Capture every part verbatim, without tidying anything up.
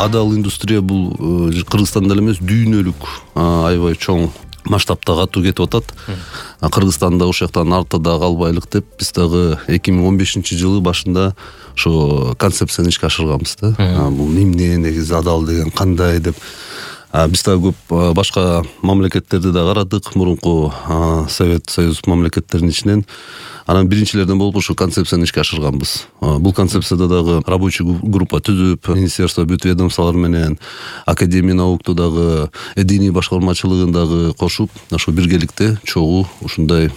адал индустрия бул Кыргызстанда эле эмес, дүйнөлүк аябай чоң масштабта катуу кетип атат. Кыргызстанда ошол жактан артта калбайлык деп биз дагы эки миң он бешинчи жылы башында ошо концепцияны ишке ашырганбыз да. Бул эмне, негизи адал деген кандай деп. Биз дагы көп башка мамлекеттерди да карадык, мурунку Совет Союз мамлекеттеринин ичинен. Анан биринчилерден болуп ушу концепцияны ишке ашырганбыз. Бул концепцияда дагы рабочий группа түзүп, министерство бүт ведомстволор менен, академия наукту дагы, диний башкармачылыгын дагы кошуп, ошо биргеликте чогуу ушундай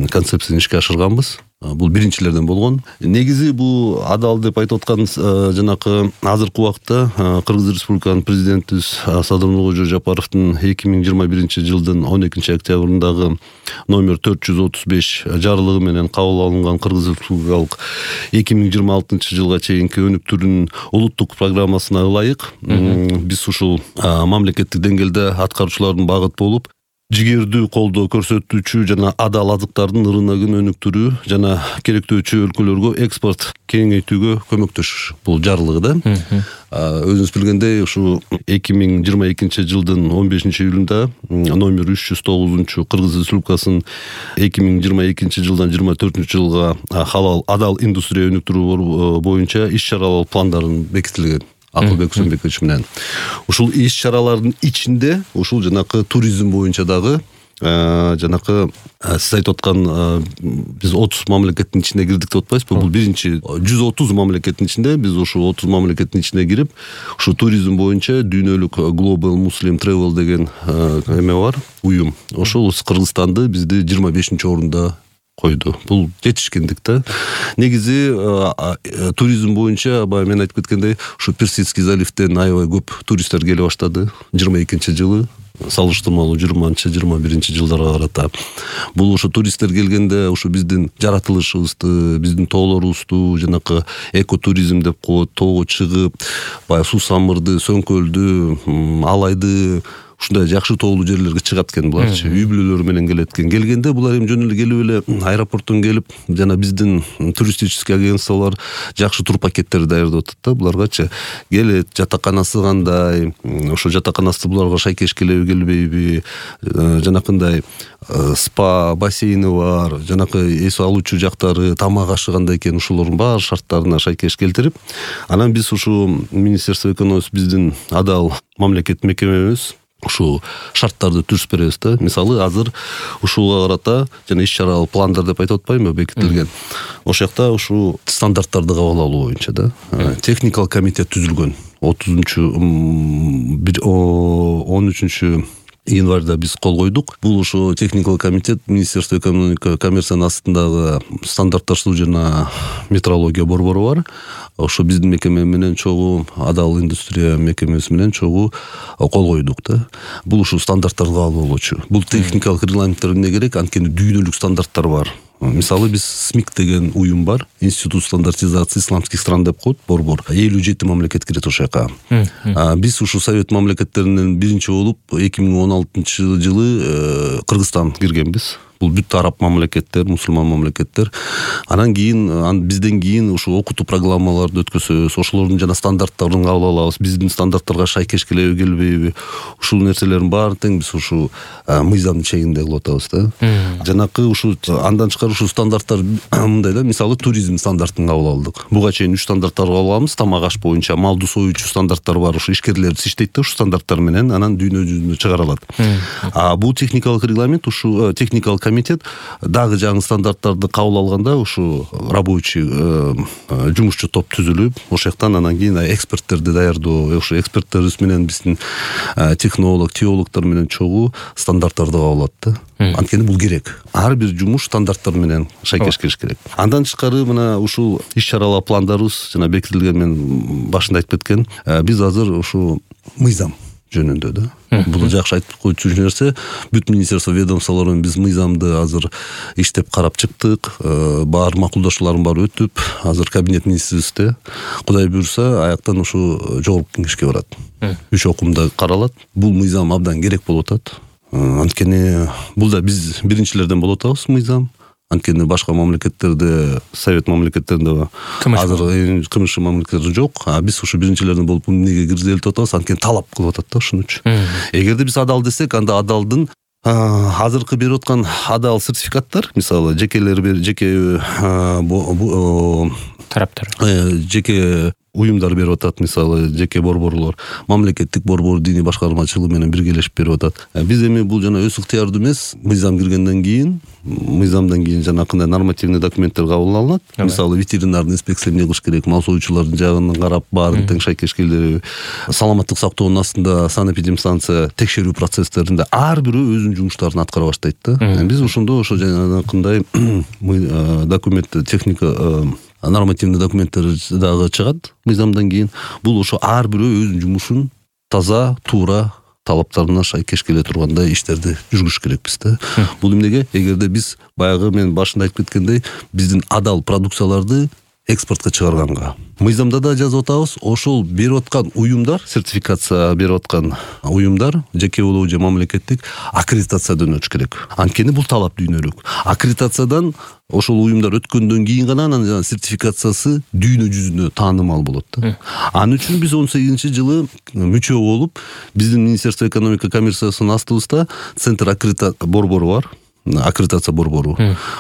концепцияны ишке ашырганбыз. Бул биринчилерден болгон. Негизи бул адал деп айтып аткан жанакы азыркы убакта Кыргыз Республиканын президенти Садыр Нуркожо Жапаровдун эки миң жыйырма биринчи жылдын он экинчи октябрындагы номер төрт жүз отуз беш жарлыгы менен кабыл алынган Кыргыз Республикалык эки миң жыйырма алтынчы жылга чейинки өнүктүүнүн улуттук программасына ылайык биз ушул мамлекеттик деңгээлде аткаруучулардын багыт болуп, жигердүү колдоо көрсөтүүчү жана адал азыктардын рыногун өнүктүрүү жана керектөөчү өлкөлөргө экспорт кеңейтүүгө көмөктөшүш. Бул жарлыгы да. Өзүңүз билгендей, ушу эки миң жыйырма экинчи жылдын он бешинчи июлунда номер үч жүз тогузунчу Кыргыз Республикасынын эки миң жыйырма экинчи жылдан жыйырма төртүнчү жылга халал адал индустрия өнүктүрүү боюнча иш-чаралар пландарын бекитилген. Акылбек Сөмбекович менен. Ушул иш-чаралардын ичинде ушул жанакы туризм боюнча дагы жанакы сиз айтып аткан биз отуз мамлекеттин ичине кирдик деп атпайсызбы? Бул биринчи жүз отуз мамлекеттин ичинде биз ушул отуз мамлекеттин ичине кирип, ушу туризм боюнча дүйнөлүк Global Muslim Travel деген эме бар, уюм. Ошол Кыргызстанды бизди жыйырма бешинчи орунда койду. Бул жетишкендик да. Негизи туризм боюнча баягы мен айтып кеткендей, ушу Персидский заливден аябай көп туристтер келе баштады жыйырма экинчи жылы, салыштырмалуу жыйырманчы жыйырма биринчи жылдарга карата. Бул ушу туристтер келгенде ушу биздин жаратылышыбызды, биздин тоолорубузду, жанакы экотуризм деп коет, тоого чыгып, баягы сусамырды, сөңкөлдү, алайды, ушундай жакшы тоолуу жерлерге чыгат экен буларчы, үй бүлөлөрү менен келет экен. Келгенде булар эми жөн эле келип эле аэропорттон келип, жана биздин туристический агентстволор жакшы тур пакеттерди даярдап атат да буларгачы. Келет, жатаканасы кандай, ошо жатаканасы буларга шайкеш келеби, келбейби, жанакындай спа, бассейни бар, жанакы эс алуучу жактары, тамак ашы кандай экен, ушулордун баары шарттарына шайкеш келтирип, анан биз ушу Министерство экономики биздин адал мамлекет мекемебиз ушу шарттарды түзүп беребиз да. Мисалы, азыр ушуга карата жана иш-чаралар пландар деп айтып атпаймынбы, бекитилген. Ошол жакта ушу стандарттарды кабыл алуу боюнча да техникалык комитет түзүлгөн. отузунчу он үчүнчү январда биз кол койдук. Бул ошо техникалык комитет Министерство экономика коммерциянын астындагы стандартташтыруу жана метрология борбору бар. Ошо биздин мекеме менен чогуу адал индустрия мекемеси менен чогуу кол койдук да. Бул ушу стандарттарды кабыл алуучу. Бул техникалык регламенттер эмне керек? Анткени дүйнөлүк стандарттар бар. Мисалы, биз СМИК деген уюм бар, Институт стандартизации исламских стран деп коет, борбор. элүү жети мамлекет кирет ошол жака. Биз ушу совет мамлекеттеринен биринчи болуп эки миң он алтынчы жылы Кыргызстан киргенбиз. Бул бүт араб мамлекеттер, мусулман мамлекеттер. Анан кийин бизден кийин ушу окутуу программаларды өткөзөбүз, ошолордун жана стандарттарын кабыл алабыз. Биздин стандарттарга шайкеш келеби, келбейби, ушул нерселердин баарын тең биз ушу мыйзамдын чегинде кылып атабыз да. Жанакы ушу андан тышкары ушу стандарттар мындай да, мисалы туризм стандартын кабыл алдык. Буга чейин үч стандарттарды кабыл алабыз. Тамак аш боюнча малды союучу стандарттар бар, ушу ишкерлерибиз иштейт да, ушу стандарттар менен анан дүйнө жүзүнө чыгарылат. А бул техникалык регламент, ушу техникалык комитет дагы жаңы стандарттарды кабыл алганда ушу рабочий жумушчу топ түзүлүп, ошол жактан анан кийин эксперттерди даярдоо, ошо эксперттерибиз менен биздин технолог, теологдор менен чогуу стандарттарды кабыл алат да. Анткени бул керек. Ар бир жумуш стандарттар менен шайкеш келиш керек. Андан тышкары мына ушул иш-чаралар пландарыбыз жана бекитилген, мен башында айтып кеткен, биз азыр ушу мыйзам жөнүндө да. Бул жакшы айтып койчу нерсе. Бүт министерство ведомстволор менен биз мыйзамды азыр иштеп карап чыктык. Баар макулдашуулардын баары өтүп, азыр кабинет министрибизде. Кудай буйрса, аяктан ушу жогорку кеңешке барат. Үч окумда каралат. Бул мыйзам абдан керек болуп атат. Анткени бул да биз биринчилерден болуп атабыз мыйзам. Анткени башка мамлекеттерде, совет мамлекеттеринде азыр кымыш мамлекеттер жок. А биз ушу биринчилерден болуп эмнеге киргизелип атабыз? Анткени талап кылып атат да ошон үчүн. Эгерде биз адал десек, анда адалдын азыркы берип аткан адал сертификаттар, мисалы, жекелер жеке тараптар, жеке уюмдар берип атат, мисалы, жеке борборлор, мамлекеттик борбор диний башкармачылыгы менен биргелешип берип атат. Биз эми бул жана өз ыктыярдуу эмес, мыйзам киргенден кийин, мыйзамдан кийин жанакындай нормативный документтер кабыл алынат. Мисалы, ветеринардын инспекция эмне кылыш керек, мал союучулардын жагынан карап, баарын тең шайкеш келип, саламаттык сактоонун астында санэпидемстанция текшерүү процесстеринде ар бирөө өзүнүн жумуштарын аткара баштайт да. Биз ошондо ошо жанакындай документ, техника, нормативный документтер дагы чыгат мыйзамдан кийин. Бул ошо ар бирөө өзүнүн жумушун таза, туура, талаптарына шайкеш келе тургандай иштерди жүргүзүш керекпиз да. Бул эмнеге? Эгерде биз баягы мен башында айтып кеткендей, биздин адал продукцияларды экспортко чыгарганга, мыйзамда да жазып атабыз, ошол берип аткан уюмдар, сертификация берип аткан уюмдар, жеке болобу же мамлекеттик, аккредитациядан өтүш керек. Анткени бул талап дүйнөлүк. Аккредитациядан ошол уюмдар өткөндөн кийин гана анын сертификациясы дүйнө жүзүнө таанымал болот да. Анын үчүн биз он сегизинчи жылы мүчө болуп, биздин Министерство экономика коммерциясынын астыбызда центр аккредитация борбору бар. Аккредитация борбору.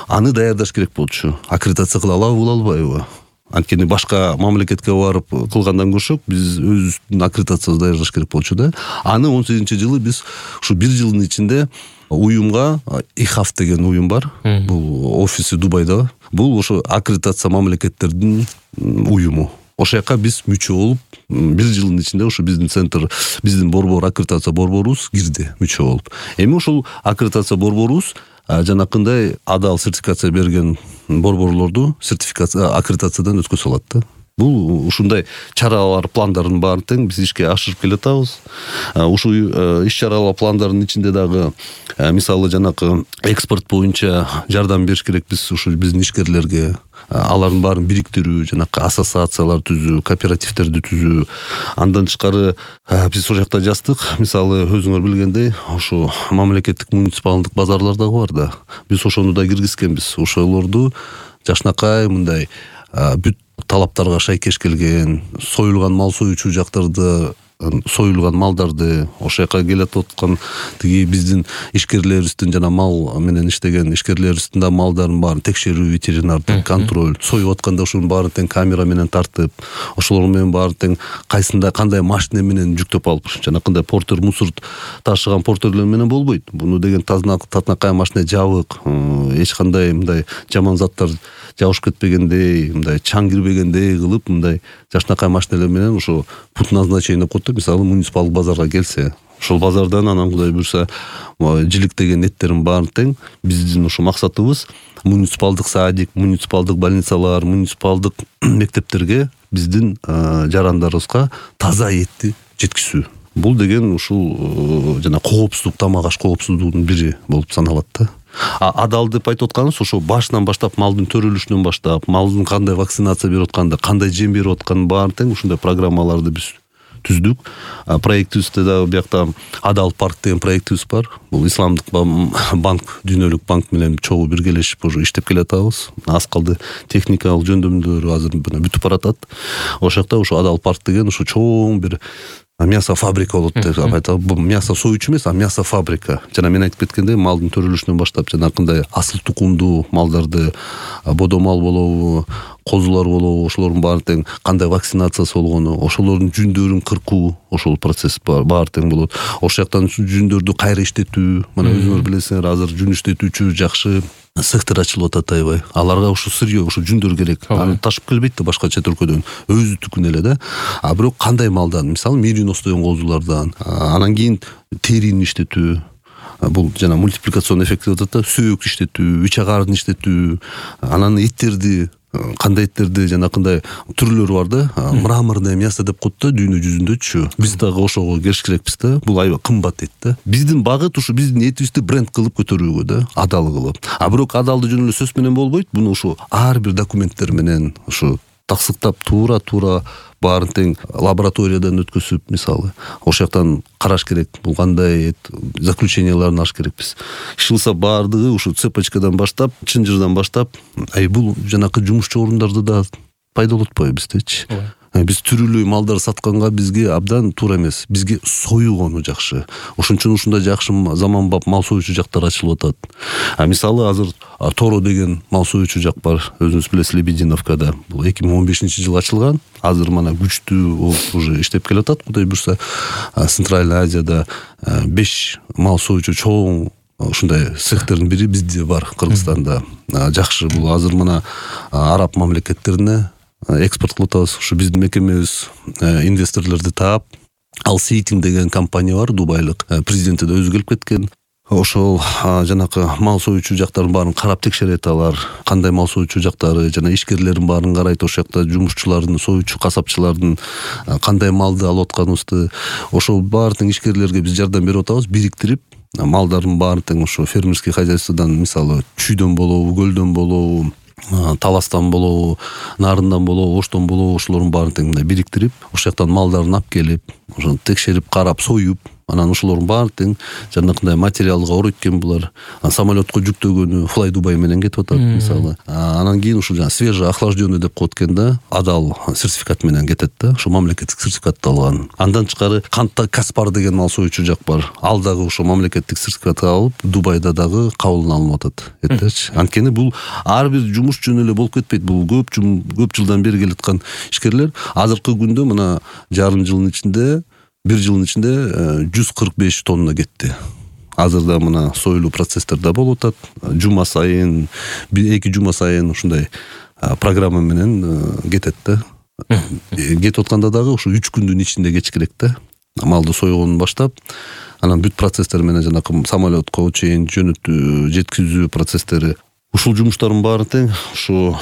Аны даярдаш керек болчу. Аккредитация кыла алабы, кыла албайбы? Анткени башка мамлекетке барып кылгандан көрсөк, биз өзүбүздүн аккредитациябызды даярдаш керек болчу да. Аны он сегизинчи жылы биз ушу бир жылдын ичинде уюмга, ИХАФ деген уюм бар. Бул офиси Дубайда. Бул ошо аккредитация мамлекеттердин уюму. Ошол жака биз мүчө болуп, бир жылдын ичинде ошо биздин центр, биздин борбор, аккредитация борборубуз кирди мүчө болуп. Эми ошол аккредитация борборубуз жанакындай адал сертификация берген борборлорду сертификация, аккредитациядан өткөзө алат да. Бул ушундай чаралар, пландардын баарын тең биз ишке ашырып келатабыз. Ушул иш чаралар пландардын ичинде дагы мисалы жанакы экспорт боюнча жардам бериш керек биз ушу биздин ишкерлерге, алардын баарын бириктирүү, жанакы ассоциациялар түзүү, кооперативтерди түзүү. Андан тышкары биз ошол жакта жаздык. Мисалы, өзүңөр билгендей, ошо мамлекеттик муниципалдык базарлар дагы бар да. Биз ошону да киргизкенбиз. Ошолорду жакшынакай мындай бүт талаптарга шайкеш келген, союлган мал союучу жактарды, союлган малдарды, ошол жака келип аткан тиги биздин ишкерлерибиздин жана мал менен иштеген ишкерлерибиздин да малдарын баарын текшерүү, ветеринардык контроль, союп атканда ошонун баарын тең камера менен тартып, ошолор менен баарын тең кайсында кандай машина менен жүктөп алып, жанакындай портер мусор ташыган портерлер менен болбойт. Буну деген татынакай машина жабык, эч кандай мындай жаман заттар жабышып кетпегендей, мындай чаң кирбегендей кылып, мындай жакшынакай машиналар менен ошо путь назначения коюп, мисалы, муниципалдык базарга келсе, ошол базардан анан Кудай буйрса жиликтеген неттерин баарын тең биздин ошо максатыбыз муниципалдык садик, муниципалдык больницалар, муниципалдык мектептерге биздин жарандарыбызга таза этти жеткизүү. Бул деген ушул жана коопсуздук, тамак аш коопсуздугунун бири болуп саналат да. А адал деп айтып атканыбыз ошо башынан баштап, малдын төрөлүшүнөн баштап, малдын кандай вакцинация берип атканды, кандай жем берип атканын баарын тең ушундай программаларды биз түздүк. Проектибизде да биякта Адал парк деген проектибиз бар. Бул исламдык банк, дүйнөлүк банк менен чогуу биргелешип уже иштеп келатабыз. Аз калды техникалык жөндөмдөр азыр бүтүп баратат. Ошол жакта ушу Адал парк деген ушу чоң бир мясо фабрика болот деп айтат. Бул мясо союучу эмес, а мясо фабрика. Жана мен айтып кеткендей, малдын төрөлүшүнөн баштап жанакындай асыл тукумдуу малдарды, бодо мал болобу, козулар болобу, ошолордун баарын тең кандай вакцинациясы болгону, ошолордун жүндөрүн кыркуу, ошол процесс баары тең болот. Ошол жактан жүндөрдү кайра иштетүү, мына өзүңөр билесиңер, азыр жүн иштетүүчү жакшы сектор ачылып атат аябай. Аларга ушу сырьё, ушу жүндөр керек. Аны ташып келбейт да башка чет өлкөдөн. Өзүнүкүн эле да. А бирок кандай малдан? Мисалы, меринос деген козулардан, анан кийин терини иштетүү. Бул жана мультипликацион эффект деп атат да, сөөк иштетүү, үч агарын иштетүү, анан эттерди, кандай эттерди жанакындай түрлөрү бар да. Мраморное мясо деп коет да дүйнө жүзүндөчү. Биз дагы ошого келиш керекпиз да. Бул аябай кымбат эт да. Биздин багыт ушу биздин этибизди бренд кылып көтөрүүгө да, адал кылып. А бирок адалды жөн эле сөз менен болбойт. Буну ушу ар бир документтер менен, ушу таксыктап туура туура баарын тең лабораториядан өткөзүп, мисалы ошол жактан караш керек, бул кандай заключенияларын алыш керекпиз. Иш кылса баардыгы ушу цепочкадан баштап, чынжырдан баштап, ай бул жанакы жумушчу орундарды да пайдаланып атпайбы биздечи. Биз түрүлүү малдар сатканга бизге абдан туура эмес. Бизге союгону жакшы. Ошон үчүн ушундай жакшы заманбап мал союучу жактар ачылып атат. А мисалы азыр Торо деген мал союучу жак бар. Өзүңүз билесиз, Лебединовкада. Бул эки миң он бешинчи жылы ачылган. Азыр мана күчтүү уже иштеп келатат. Кудай буйрса, Центральный Азияда беш мал союучу чоң ушундай цехтердин бири бизде бар, Кыргызстанда. Жакшы, бул азыр мана араб мамлекеттерине экспорт кылып атабыз. Ушу биздин мекемебиз инвесторлорду таап, Ал Сейтинг деген компания бар, дубайлык. Президенти да өзү келип кеткен. Ошол жанакы мал союучу жактарын баарын карап текшерет алар. Кандай мал союучу жактары жана ишкерлердин баарын карайт. Ошол жакта жумушчулардын, союучу касапчылардын кандай малды алып атканыбызды, ошол баардык ишкерлерге биз жардам берип атабыз, бириктирип, малдардын баарын тең ошо фермерский хозяйстводан, мисалы чүйдөн болобу, көлдөн болобу, таластан болобу, нарындан болобу, оштон болобу, ошолордун баарын тең мындай бириктирип, ошол жактан малдарын алып келип, ошону текшерип, карап, союп, анан ошолордун баарын тең жанакындай материалга оройткен булар. Самолетко жүктөгөнү Fly Dubai менен кетип атат, мисалы. Анан кийин ушул жана свежий охлажденный деп коет экен да, адал сертификат менен кетет да, ошо мамлекеттик сертификатты алган. Андан тышкары Канта Каспар деген мал союучу жак бар. Ал дагы ошо мамлекеттик сертификатты алып, Дубайда дагы кабыл алынып атат. Эттечи. Анткени бул ар бир жумуш жөн эле болуп кетпейт. Бул көп көп жылдан бери келаткан ишкерлер. Азыркы күндө мына жарым жылдын ичинде бир жылдын ичинде жүз кырк беш тонна кетти. Азырда мына союлуу процесстерде болуп атат. Жума сайын, эки жума сайын ушундай программа менен кетет да. Кетип атканда дагы ушу үч күндүн ичинде кетиш керек да. Малды сойгонун баштап, анан бүт процесстер менен жанакы самолетко чейин жөнөтүү, жеткизүү процесстери. Ушул жумуштардын баары тең ушу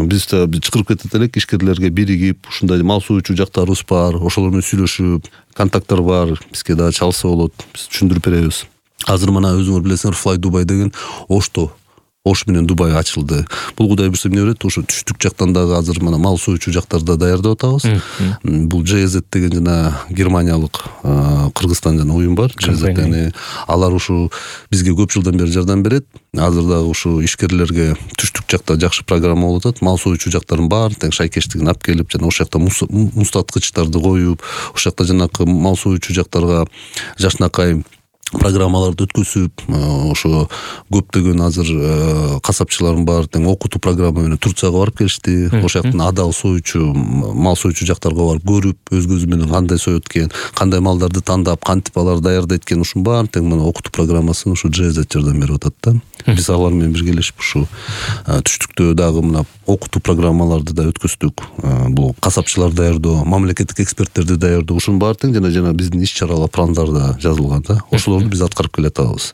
биз да чакырып кетет элек, ишкерлерге биригип, ушундай мал союучу жактарыбыз бар, ошолор менен сүйлөшүп, контакттар бар, бизге да чалса болот, биз түшүндүрүп беребиз. Азыр мына өзүңөр билесиңер, Fly Dubai деген Ошто, Ош менен Дубай ачылды. Бул кудай буйрса эмне берет, ошо түштүк жактан дагы азыр мына мал союучу жактарды даярдап атабыз. Бул джей зет деген жана германиялык Кыргызстан жана уюм бар. джей зет алар ушу бизге көп жылдан бери жардам берет. Азыр дагы ушу ишкерлерге түштүк жакта жакшы программа болуп атат. Мал союучу жактарын баарын тең шайкештигин алып келип, жана ошол жакта мустаткычтарды коюп, ошол жакта жанакы мал союучу жактарга жакшынакай программаларды өткөзүп, ошо көптөгөн азыр касапчылардын баары тең окутуу программа менен Турцияга барып келишти. Ошол жактан адал союучу, мал союучу жактарга барып көрүп, өз көзү менен кандай соет экен, кандай малдарды тандап, кантип алар даярдайт экен, ушунун баарын тең мына окутуу программасын ушу джей зет жардам берип атат да. Биз алар менен биргелешип ушу түштүктө дагы мына окутуу программаларды да өткөздүк. Бул касапчылар даярдоо, мамлекеттик эксперттерди даярдоо, ушунун баары тең жана жана биздин иш чаралар пландарда жазылган да. Ошолорду биз аткарып келе атабыз.